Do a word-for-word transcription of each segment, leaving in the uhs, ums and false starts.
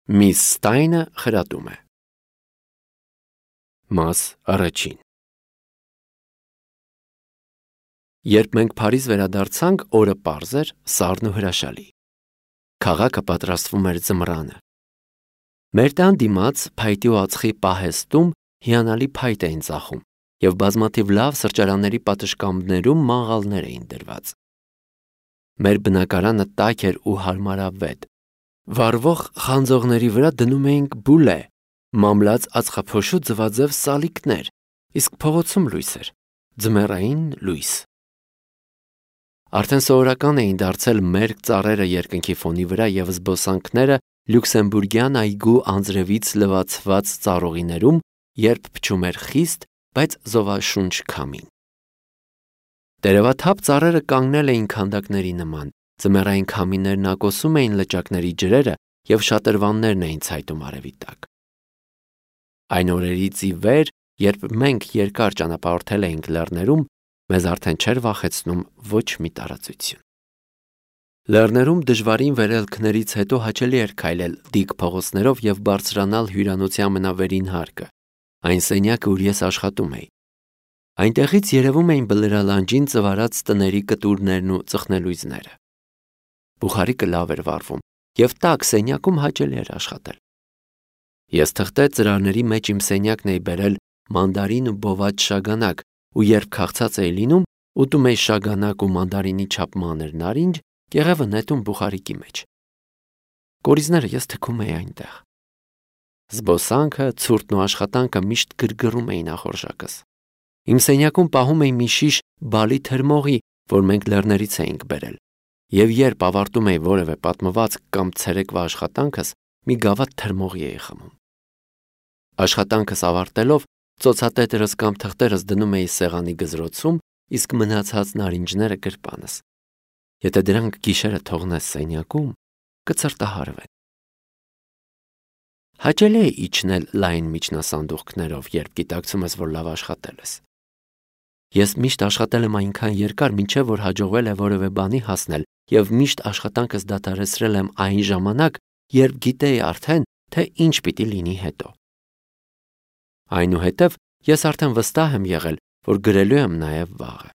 Միս Ստայնը խրատում է։ Մաս առաջին։ Երբ մենք Փարիզ վերադարձանք, օրը պարզ էր, սառն ու հրաշալի։ Քաղաքը պատրաստվում էր ձմռանը։ Մեր տան դիմաց փայտի ու ածխի պահեստում հիանալի փայտ էին ծախում, և բազմաթիվ լավ սրճարանների պատշգամբներում մաղալներ էին դրված։ Մեր բնակարանը տաք էր ու հարմարավետ։ Վառվող խանձողների վրա դնում էինք բուլե, մամլած ածխափոշու ձվաձև սալիկներ, իսկ փողոցում լույս էր, ձմեռային լույս։ Արդեն սովորական էին դարձել մերկ ծառերը երկնքի ֆոնի վրա և զբոսանքները լյուքսեմբուրգյան այգու անձրևից լվացված ծառուղիներում, երբ փչում էր խիստ, բայց զովաշունչ քամին։ Տերևաթափ ծառերը կանգնել էին քանդակների նման, ձմեռային քամիներն ակոսում էին լճակների ջրերը և շատրվաններն էին ցայտում արևի տակ։ Այն օրերից ի վեր, երբ մենք երկար ճանապարհորդել էինք լեռներում, մեզ արդեն չէր վախեցնում ոչ մի տարածություն։ Լեռներում դժվարին վերելքներից հետո հաճելի էր քայլել դիք փողոցներով և բարձրանալ հյուրանոցի ամենավերին հարկը, այն սենյակը, ուր ես աշխատում էի։ Այնտեղից երևում էին բլրալանջին ծվարած տների կտուրներն ու ծխնելույզները։ Բուխարիկը լավ էր վառվում, և տաք սենյակում հաճելի էր աշխատել։ Ես թղթե ծրարների մեջ իմ սենյակն էի բերել մանդարին ու բոված շագանակ, ու երբ քաղցած էի լինում, ուտում էի շագանակ ու մանդարինի չափ մանր նարինջ, կեղևը նետում բուխարիկի մեջ։ Կորիզները ես թքում էի այնտեղ։ Զբոսանքը, ցուրտն ու աշխատանքը միշտ գրգռում էին ախորժակս։ Իմ սենյակում պահում էի մի շիշ բալի թրմողի, որ մենք լեռներից էինք բերել, և երբ ավարտում էի որևէ պատմվածք կամ ցերեկվա աշխատանքս, մի գավաթ թրմողի էի խմում։ Աշխատանքս ավարտելով, ծոցատետրս կամ թղթերս դնում էի սեղանի գզրոցում, իսկ մնացած նարինջները գրպանս։ Եթե դրանք գիշերը թողնես սենյակում, կցրտահարվեն։ Հաճելի է իջնել լայն միջնասանդուղքներով, երբ գիտակցում ես, որ լավ աշխատել ես։ Ես միշտ աշխատել եմ այնքան երկար, մինչև որ հաջողվել է որևէ բանի հասնել, և միշտ աշխատանքս դադարեցրել եմ այն ժամանակ, երբ գիտեի արդեն, թե ինչ պիտի լինի հետո։ Այնուհետև ես արդեն վստահ եմ եղել, որ գրելու եմ նաև վաղը։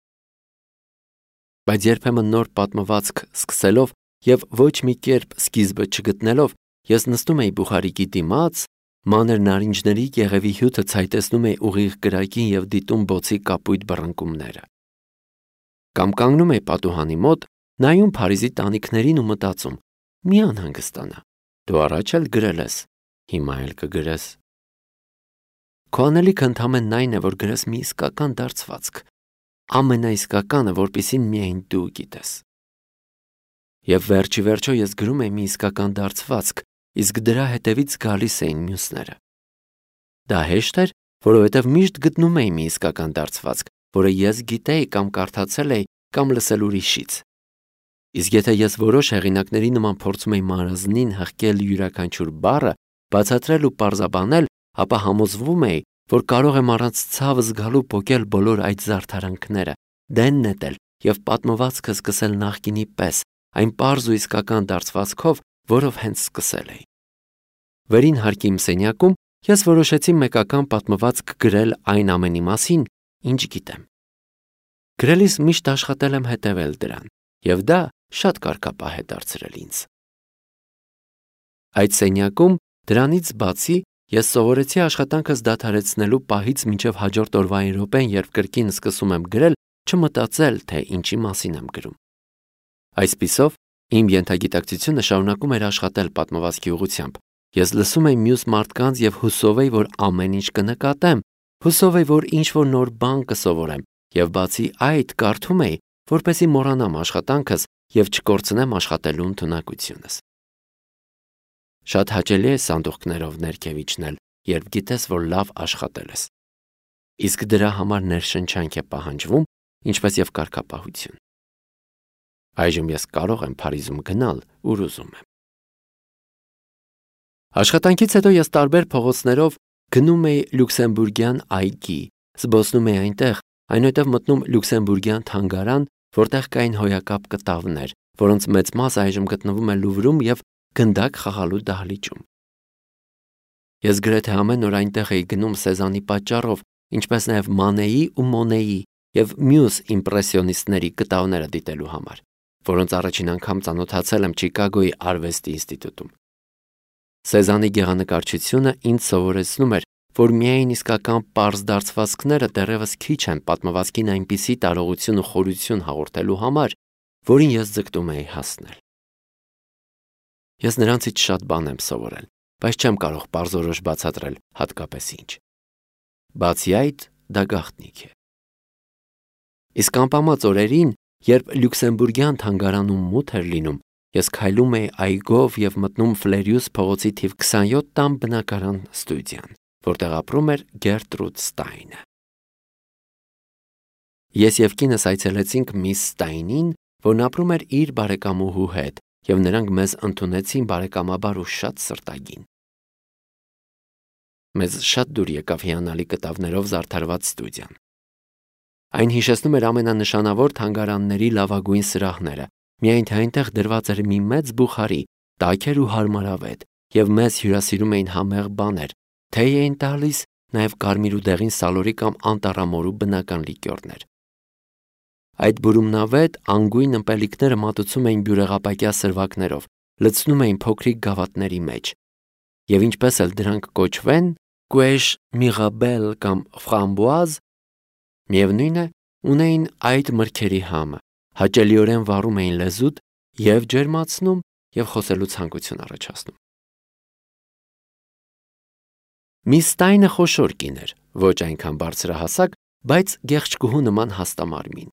Բայց երբեմն նոր պատմվածք սկսելով և ոչ մի կերպ սկիզբը չգտնելով, ես նստում էի բուխարիկի դիմաց, մանր նարինջների կեղևի հյութը ցայտեցնում էի ուղիղ կրակին և դիտում բոցի կապույտ բռնկումները։ Կամ կանգնում էի պատուհանի մոտ, նայում Փարիզի տանիքներին ու մտածում. մի անհանգստանա, դու առաջ էլ գրել ես, հիմա էլ կգրես։ Քո անելիքը ընդամենն այն է, որ գրես մի իսկական դարձվածք, ամենաիսկականը, որպեսզի միայն դու գիտես։ Եվ վերջի վերջո ես գրում էի մի իսկական դարձվածք, իսկ դրա հետևից գալիս էին մյուսները։ Դա հեշտ էր, որովհետև միշտ գտնում էի մի իսկական դարձվածք, որը ես գիտեի կամ կարդացել էի կամ լսել ուրիշից։ Իսկ եթե ես որոշ հեղինակների նման փորձում էի մարզնին հղկել յուրաքանչյուր բառը, բացատրել ու պարզաբանել, ապա համոզվում էի, որ կարող եմ առանց ցավ զգալու պոկել բոլոր այդ զարդարանքները, դեն նետել և պատմվածքը սկսել նախկինի պես, այն պարզ ու իսկական դարձվածքով, որով հենց սկսել էի։ Վերին հարկի իմ սենյակում ես որոշեցի մեկական պատմվածք գրել այն ամենի մասին, ինչ գիտեմ։ Գրելիս միշտ աշխատել եմ հետևել դրան, և դա շատ կարգապահ է դարձրել ինձ։ Այդ սենյակում, դրանից բացի, ես սովորեցի աշխատանքս դադարեցնելու պահից մինչև հաջորդ օրվա այն րոպեն, երբ կրկին սկսում եմ գրել, չմտածել, թե ինչի մասին եմ գրում։ Այսպիսով, իմ ենթագիտակցությունը շարունակում էր աշխատել պատմվածքի ուղղությամբ։ Ես լսում էի մյուս մարդկանց և հուսով էի, որ ամեն ինչ կնկատեմ, հուսով էի, որ ինչ-որ նոր բան կսովորեմ, և բացի այդ կարդում էի, որպեսզի մոռանամ աշխատանքս և չկորցնեմ աշխատելու ընդունակությունս։ Շատ հաճելի է սանդուղքներով ներքև իջնել, երբ գիտես, որ լավ աշխատել ես։ Իսկ դրա համար ներշնչանք է պահանջվում, ինչպես և կարգապահություն։ Այժմ ես կարող եմ Փարիզում գնալ, ուր ուզում եմ։ Աշխատանքից հետո ես տարբեր փողոցներով գնում էի լյուքսեմբուրգյան այգի, զբոսնում էի այնտեղ, այնուհետև մտնում լյուքսեմբուրգյան թանգարան, որտեղ կային հոյակապ կտավներ, որոնց մեծ մասը այժմ գտնվում է Լուվրում և գնդակ խաղալու դահլիճում։ Ես գրեթե ամեն օր այնտեղ էի գնում Սեզանի պատճառով, ինչպես նաև Մանեի ու Մոնեի և մյուս իմպրեսիոնիստների կտավները դիտելու համար, որոնց առաջին անգամ ծանոթացել եմ Չիկագոյի արվեստի ինստիտուտում։ Սեզանի գեղանկարչությունը ինձ սովորեցնում էր, որ միայն իսկական պարզ դարձվածքները դեռևս քիչ են պատմվածքին այնպիսի տարողություն ու խորություն հաղորդելու համար, որին ես ձգտում էի հասնել։ Ես նրանցից շատ բան եմ սովորել, բայց չեմ կարող պարզորոշ բացատրել հատկապես ինչ։ Բացի այդ, դա գաղտնիք է։ Իսկ անպամած օրերին, երբ Լյուքսեմբուրգյան թանգարանում մութ էր լինում, ես քայլում էի այգով և մտնում Ֆլերյուս փողոցի թիվ քսանյոթ տան բնակարան ստուդիան, որտեղ ապրում էր Գերտրուդ Ստայնը։ Ես և կինս այցելեցինք միս Ստայնին, որն ապրում էր իր բարեկամուհու հետ, և նրանք մեզ ընդունեցին բարեկամաբար ու շատ սրտագին։ Մեզ շատ դուր եկավ հիանալի կտավներով զարդարված ստուդիան։ Այն հիշեցնում էր ամենանշանավոր թանգարանների լավագույն սրահները, միայն թե այնտեղ դրված էր մի մեծ բուխարի, տաք էր ու հարմարավետ, և մեզ հյուրասիրում էին համեղ բաներ, թեյ էին տալիս, նաև կարմիր ու դեղին սալորի կամ անտառամորու բնական լիկյորներ։ Այդ բուրումնավետ անգույն ըմպելիքները մատուցում էին բյուրեղապակյա սրվակներով, լցնում էին փոքրիկ գավաթների մեջ, և ինչպես էլ դրանք կոչվեն, Կուեշ Միրաբել կամ Ֆրամբուազ, միևնույն է, ունեին այդ մրգերի համը, հաճելիորեն վառում էին լեզուդ և ջերմացնում և խոսելու ցանկություն առաջացնում։ Միս Ստայնը խոշոր կին էր, ոչ այնքան բարձրահասակ, բայց գեղեցկուհու նման հաստամարմին։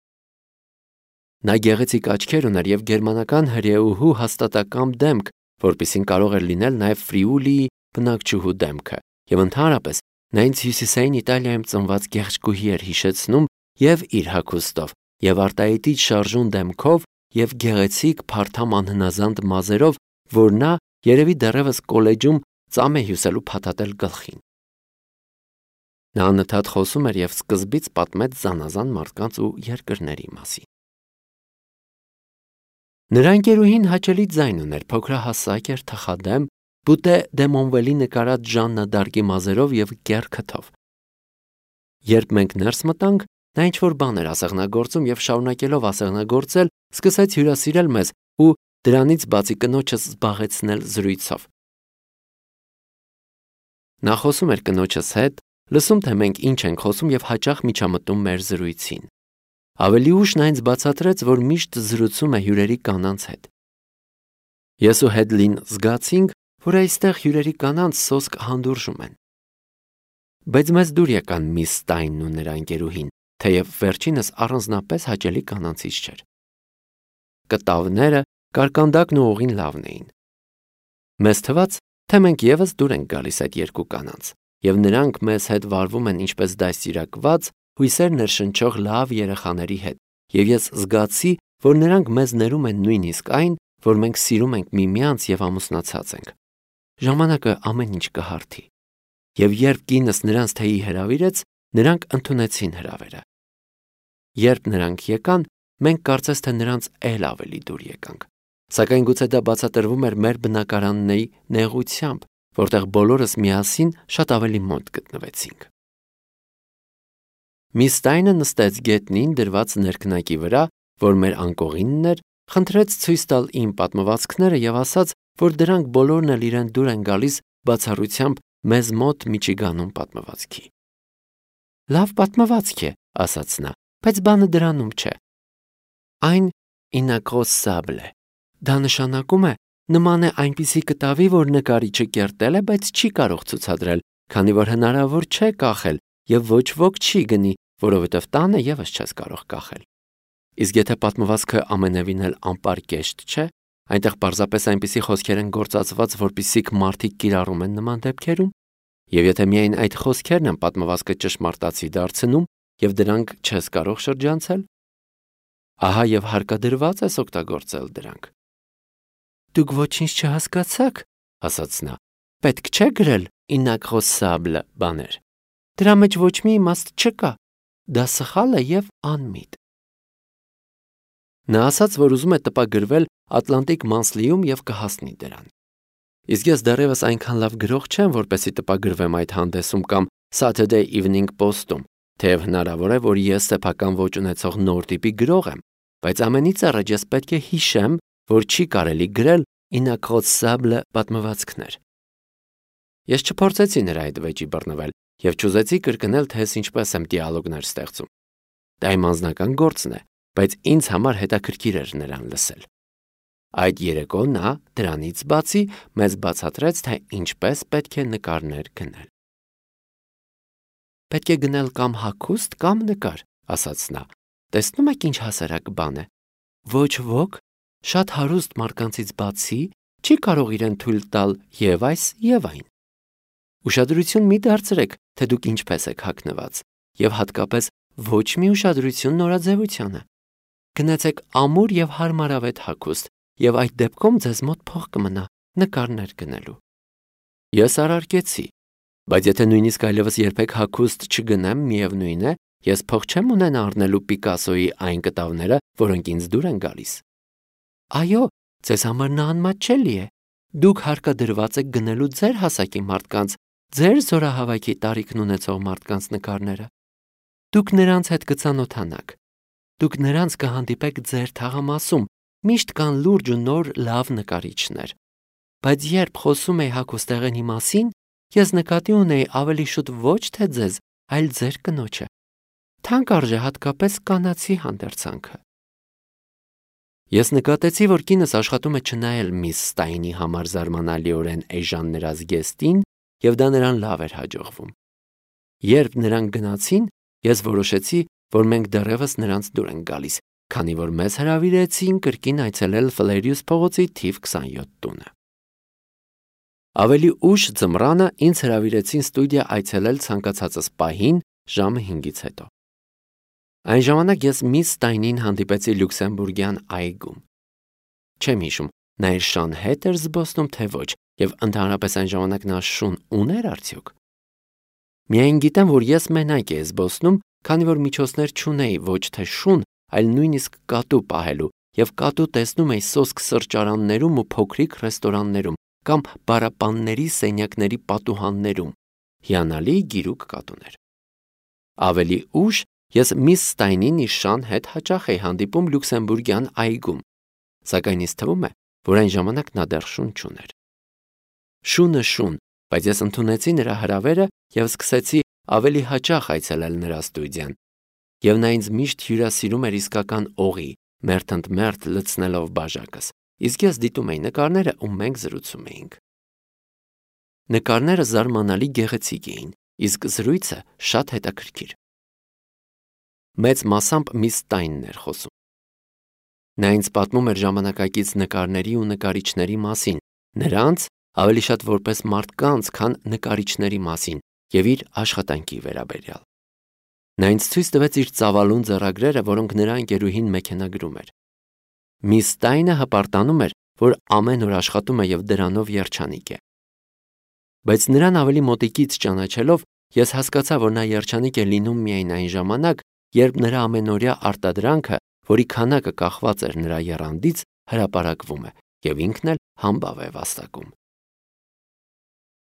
Նա գեղեցիկ աչքեր ուներ և գերմանական հրեուհու հաստատակամ դեմք, որպիսին կարող էր լինել նաև Ֆրիուլիի բնակչուհու դեմքը, և ընդհանրապես նա ինձ հյուսիսային Իտալիայում ծնված գեղեցկուհի էր հիշեցնում և իր հագուստով, և արտահայտիչ շարժուն դեմքով և գեղեցիկ փարթամ անհնազանդ մազերով, որ նա երևի դեռևս կոլեջում ծամ է հյուսելու փաթաթել գլխին։ Նա անընդհատ խոսում էր և սկզբից պատմեց զանազան մարդկանց ու երկրների մասին։ Նրա ընկերուհին հաճելի ձայն ուներ, փոքրահասակ էր, թխադեմ, Բուտե դե Մոնվելի նկարած Ժաննա Դարկի մազերով և կեռ քթով։ Երբ մենք ներս մտանք, նա ինչ-որ բան էր ասեղնագործում և շարունակելով ասեղնագործել, սկսեց հյուրասիրել մեզ ու դրանից բացի կնոջս զբաղեցնել զրույցով։ Նա խոսում էր կնոջս հետ, լսում թե մենք ինչ ենք խոսում և հաճախ միջամտում մեր զրույցին։ Ավելի ուշ նա ինձ բացատրեց, որ միշտ զրուցում է հյուրերի կանանց հետ։ Ես ու Հեդլին զգացինք, որ այստեղ հյուրերի կանանց սոսկ հանդուրժում են։ Բայց մեզ դուր եկան միս Ստայնն ու նրա ընկերուհին, թեև վերջինս առանձնապես հաճելի կանանցից չէր։ Կտավները, կարկանդակն ու օղին լավն էին։ Մեզ թվաց, թե մենք ևս դուր ենք գալիս այդ երկու կանանց, և նրանք մեզ հետ վարվում են ինչպես դաստիարակված, հույսեր ներշնչող լավ երեխաների հետ, և ես զգացի, որ նրանք մեզ ներում են նույնիսկ այն, որ մենք սիրում ենք միմյանց և ամուսնացած ենք։ Ժամանակը ամեն ինչ կհարթի։ Եվ երբ կինս նրանց թեյի հրավիրեց, նրանք ընդունեցին հրավերը։ Երբ նրանք եկան, մենք կարծես թե նրանց էլ ավելի դուր եկանք, սակայն գուցե դա բացատրվում էր մեր բնակարանների նեղությամբ, որտեղ բոլորս միասին շատ ավելի մոտ գտնվեցինք։ Միս Ստայնը նստեց գետնին դրված ներքնակի վրա, որ մեր անկողինն էր, խնդրեց ցույց տալ իմ պատմվածքները և ասաց, որ դրանք բոլորն էլ իրեն դուր են գալիս բացառությամբ մեզ մոտ Միչիգանում պատմվածքի։ Լավ պատմվածք է, ասաց նա, բայց բանը դրանում չէ։ Այն ինակրոսաբլ է։ Դա նշանակում է, նման է այնպիսի կտավի, որ նկարիչը կերտել է, բայց չի կարող ցուցադրել, քանի որ հնարավոր չէ կախել և ոչ ոք չի գնի, որովհետև տանը ևս չես կարող կախել։ Իսկ եթե պատմվածքը ամենևին էլ անպարկեշտ չէ, այնտեղ պարզապես այնպիսի խոսքեր են գործածված, որպիսիք մարդիկ կիրառում են նման դեպքերում, և եթե միայն այդ խոսքերն են պատմվածքը ճշմարտացի դարձնում, և դրանք չես կարող շրջանցել, ահա և հարկադրված ես օգտագործել դրանք։ Դուք ոչինչ չհասկացաք, ասաց նա, պետք չէ գրել ինակրոսաբլ բաներ։ Դրա մեջ ոչ մի իմաստ չկա, դա սխալ է և անմիտ։ Նա ասաց, որ ուզում է տպագրվել Ատլանտիկ Monthly-ում և կհասնի դրան։ Իսկ ես դեռևս այնքան լավ գրող չեմ, որպեսզի տպագրվեմ այդ հանդեսում կամ Saturday Evening Post-ում, թեև հնարավոր է, որ ես սեփական ոճ ունեցող նոր տիպի գրող եմ, բայց ամենից առաջ ես պետք է հիշեմ, որ չի կարելի գրել ինաքրոծable պատմվածքներ։ Ես չփորձեցի նրա այդ վեճի բռնվել եւ չուզեցի կրկնել, թե ես ինչպես եմ դիալոգներ ստեղծում։ Դա իմ անձնական գործն է, բայց ինձ համար հետաքրքիր էր նրան լսել։ Այդ երեկո նա դրանից բացի մեզ բացատրեց, թե ինչպես պետք է նկարներ գնել։ Պետք է գնել կամ հագուստ, կամ նկար, ասաց նա։ Տեսնում եք ինչ հասարակ բան է։ Ոչ ոք, շատ հարուստ մարդկանցից բացի, չի կարող իրեն թույլ տալ եւ այս եւ այն։ Ուշադրություն մի դարձրեք, թե դուք ինչպես եք հագնված, եւ հատկապես ոչ մի ուշադրություն նորաձևությանը։ Գնացեք ամուր եւ հարմարավետ հագուստ, եւ այդ դեպքում ձեզ մոտ փող կմնա նկարներ գնելու։ Ես արարկեցի, բայց եթե նույնիսկ այլևս երբեք հագուստ չգնեմ, միևնույն է, ես փող չեմ ունենա առնելու Պիկասոյի այն կտավները, որոնք ինձ դուր են գալիս։ Այո, ձեզ համար նա անմատչելի է։ Դուք հարկադրված եք գնելու ձեր հասակի մարդկանց, ձեր զորահավաքի տարիքն ունեցող մարդկանց նկարները։ Դուք նրանց հետ կծանոթանաք։ Դուք նրանց կհանդիպեք ձեր թաղամասում, միշտ կան լուրջ ու նոր լավ նկարիչներ։ Բայց երբ խոսում էի հագուստեղենի մասին, ես նկատի ունեի ավելի շուտ ոչ թե ձեզ, այլ ձեր կնոջը։ Թանկ արժե հատկապես կանացի հանդերձանքը։ Ես նկատեցի, որ կինս աշխատում է չնայել միս Ստայնի համար զարմանալիորեն էժան նրա զգեստին, եւ դա նրան լավ էր հաջողվում։ Երբ նրանք գնացին, ես որոշեցի, որ մենք դեռևս նրանց դուր ենք գալիս, քանի որ մեզ հրավիրեցին կրկին այցելել Ֆլերիուս փողոցի թիվ քսանյոթ տունը։ Ավելի ուշ ձմռանը ինձ հրավիրեցին ստուդիա այցելել ցանկացածս պահին ժամը հինգից հետո։ Այն ժամանակ ես միս Ստայնին հանդիպեցի Լյուքսեմբուրգյան այգում։ Չեմ հիշում, նա իր շան հետ էր զբոսնում, թե ոչ, եւ ընդհանրապես այն ժամանակ նա շուն ուներ արդյոք։ Միայն գիտեմ, որ ես մենակ էի զբոսնում, քանի որ միջոցներ չունեի ոչ թե շուն, այլ նույնիսկ կատու պահելու, եւ կատու տեսնում էի սոսկ սրճարաններում ու փոքրիկ ռեստորաններում կամ բարապանների սենյակների պատուհաններում։ Հիանալի գիրուկ կատուներ։ Ավելի ուշ ես միս Ստայնին իր շան հետ հաճախ էի հանդիպում Լյուքսեմբուրգյան այգում, սակայն ինձ թվում է, որ այն ժամանակ նա դեռ շուն չուներ։ Շունը շուն, բայց ես ընդունեցի նրա հրավերը եւ սկսեցի ավելի հաճախ այցելել նրա ստուդիան։ Եվ նա ինձ միշտ հյուրասիրում էր իսկական օղի, մերթ ընդ մերթ լցնելով բաժակս, իսկ ես դիտում էի նկարները ու մենք զրուցում էինք։ Նկարները զարմանալի գեղեցիկ էին, իսկ զրույցը շատ հետաքրքիր։ Մեծ մասամբ միս Ստայնն էր խոսում։ Նա ինձ պատմում էր ժամանակակից նկարների ու նկարիչների մասին, նրանց ավելի շատ որպես մարդկանց, քան նկարիչների մասին եւ իր աշխատանքի վերաբերյալ։ Նա ինձ ցույց տվեց իր ծավալուն ձեռագրերը, որոնք նրա ընկերուհին մեքենագրում էր։ Միս Ստայնը հպարտանում էր, որ ամեն օր աշխատում է եւ դրանով երջանիկ է։ Բայց նրան ավելի մոտիկից ճանաչելով, ես հասկացա, որ նա երջանիկ է լինում միայն այն ժամանակ, երբ նրա ամենօրյա արտադրանքը, որի քանակը կախված էր նրա եռանդից, հրապարակվում է եւ ինքն էլ համբավ է վաստակում։